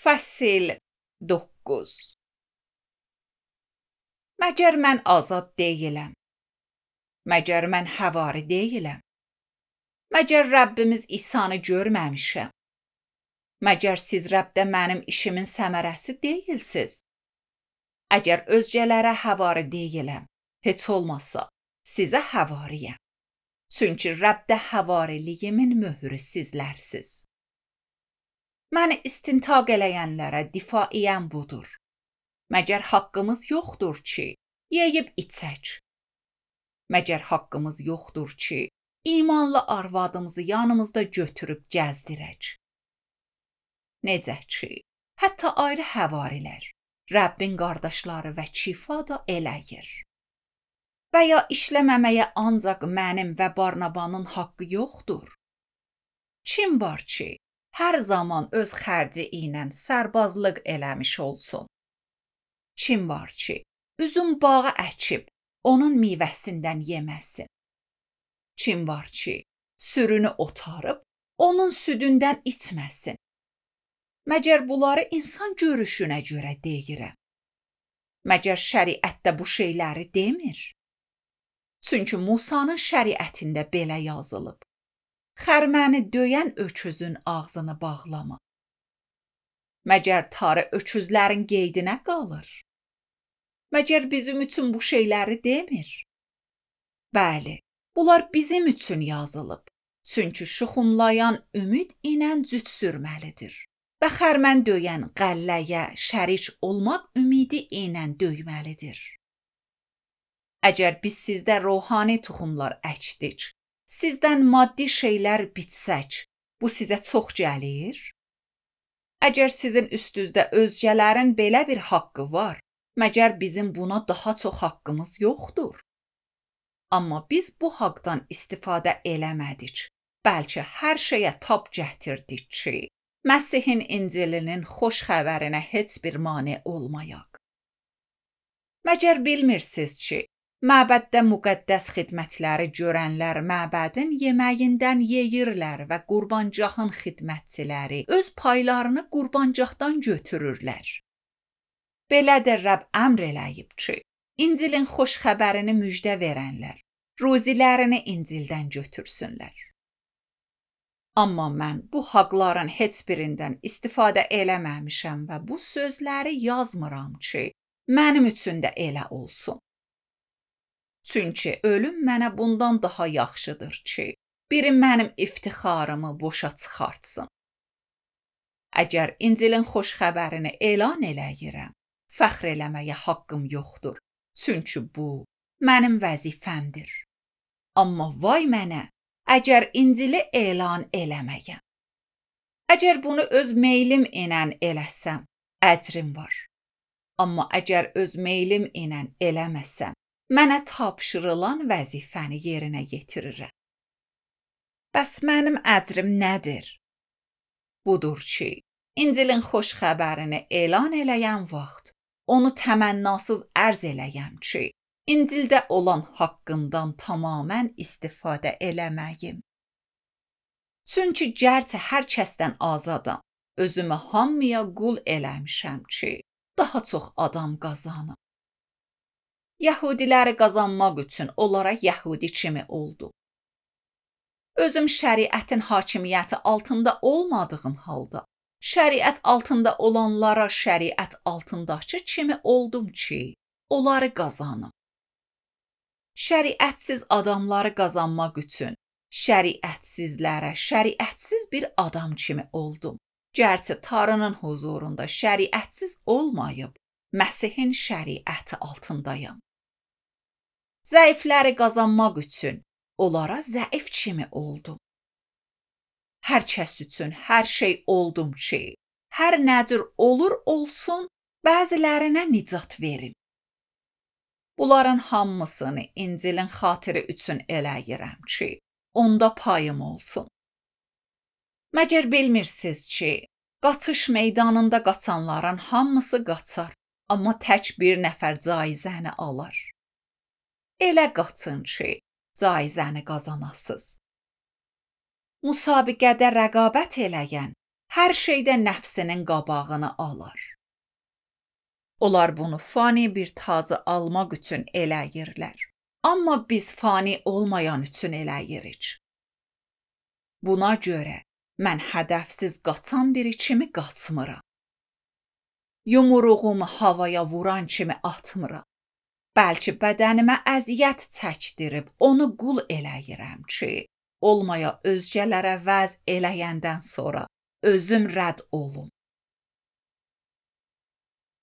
Fəsil 9. Məgər mən azad deyiləm? Məgər mən həvari deyiləm? Məgər Rəbbimiz İsa'nı görməmişəm? Məgər siz Rəbdə mənim işimin səmərəsi deyilsiz? Əgər özgələrə həvari deyiləm, heç olmazsa sizə həvariyəm. Çünki Rəbdə həvariliyimin möhrü sizlərsiz. Məni istintaq eləyənlərə difaiyəm budur. Məgər haqqımız yoxdur ki, yeyib içək? Məgər haqqımız yoxdur ki, imanlı arvadımızı yanımızda götürüb gəzdirək? Necə ki, hətta ayrı həvarilər, Rəbbin qardaşları və Kifa da eləyir. Və ya işləməməyə ancaq mənim və Barnabanın haqqı yoxdur? Kim var ki, hər zaman öz xərci ilə sərbazlıq eləmiş olsun? Kim var ki, üzüm bağı əkib, onun meyvəsindən yeməsin? Kim var ki, sürünü otarıb, onun südündən içməsin? Məgər bunları insan görüşünə görə deyirəm? Məgər şəriətdə bu şeyləri demir? Çünki Musanın şəriətində belə yazılıb: xərməni döyən öküzün ağzını bağlama. Məgər tarı öküzlərin qeydinə qalır? Məgər bizim üçün bu şeyləri demir? Bəli, bunlar bizim üçün yazılıb. Çünki şuxumlayan ümid ilə cüt sürməlidir və xərmən döyən qəlləyə şərik olmaq ümidi ilə döyməlidir. Əgər biz sizdə ruhani toxumlar əkdik, sizdən maddi şeylər bitsək, bu sizə çox gəlir? Əgər sizin üstünüzdə özgələrin belə bir haqqı var, məgər bizim buna daha çox haqqımız yoxdur? Amma biz bu haqqdan istifadə eləmədik, bəlkə hər şeyə tab gətirdik ki, Məsihin İncilinin xoş xəbərinə heç bir mane olmayaq. Məgər bilmirsiniz ki, məbəddə müqəddəs xidmətləri görənlər məbədin yeməyindən yeyirlər və qurbancahın xidmətçiləri öz paylarını qurbancahdan götürürlər. Belə də Rəbb əmr eləyib ki, İncilin xoş xəbərini müjdə verənlər ruzilərini İncildən götürsünlər. Amma mən bu haqların heç birindən istifadə eləməmişəm və bu sözləri yazmıram ki, mənim üçün də elə olsun. Çünki ölüm mənə bundan daha yaxşıdır ki, biri mənim iftixarımı boşa çıxartsın. Əgər İncilin xoş xəbərini elan eləyirəm, fəxr eləməyə haqqım yoxdur. Çünki bu mənim vəzifəmdir. Amma vay mənə, əgər İncili elan eləməyəm. Əgər bunu öz meylim ilə eləsəm, əcrim var. Amma əgər öz meylim ilə eləməsəm, mənə tapşırılan vəzifəni yerinə yetirirəm. Bəs mənim əcrim nədir? Budur ki, İncilin xoş xəbərini elan eləyən vaxt, onu təmənnasız ərz eləyəm ki, İncildə olan haqqımdan tamamən istifadə eləməyim. Çünki gərçə hər kəsdən azadam, özümü hamıya qul eləmişəm ki, daha çox adam qazanım. Yəhudiləri qazanmaq üçün onlara yəhudi kimi oldum. Özüm şəriətin hakimiyyəti altında olmadığım halda, şəriət altında olanlara şəriət altındakı kimi oldum ki, onları qazanım. Şəriətsiz adamları qazanmaq üçün şəriətsizlərə şəriətsiz bir adam kimi oldum. Gərçə Tanrının huzurunda şəriətsiz olmayıb, Məsihin şəriəti altındayam. Zəifləri qazanmaq üçün onlara zəif kimi oldum. Hər kəs üçün hər şey oldum ki, hər nədir olur olsun, bəzilərinə nicat verim. Bunların hamısını İncilin xatiri üçün eləyirəm ki, onda payım olsun. Məgər bilmirsiniz ki, qaçış meydanında qaçanların hamısı qaçar, amma tək bir nəfər caizəni alar. Elə qaçın ki, caizəni qazanasız. Müsabiqədə rəqabət eləyən hər şeydə nəfsinin qabağını alar. Onlar bunu fani bir tacı almaq üçün eləyirlər. Amma biz fani olmayan üçün eləyirik. Buna görə mən hədəfsiz qaçan biri kimi qaçmıram. Yumruğumu havaya vuran kimi atmıram. Bəlkə bədənimə əziyyət çəkdirib onu qul eləyirəm ki, olmaya özgələrə vəz eləyəndən sonra özüm rədd olum.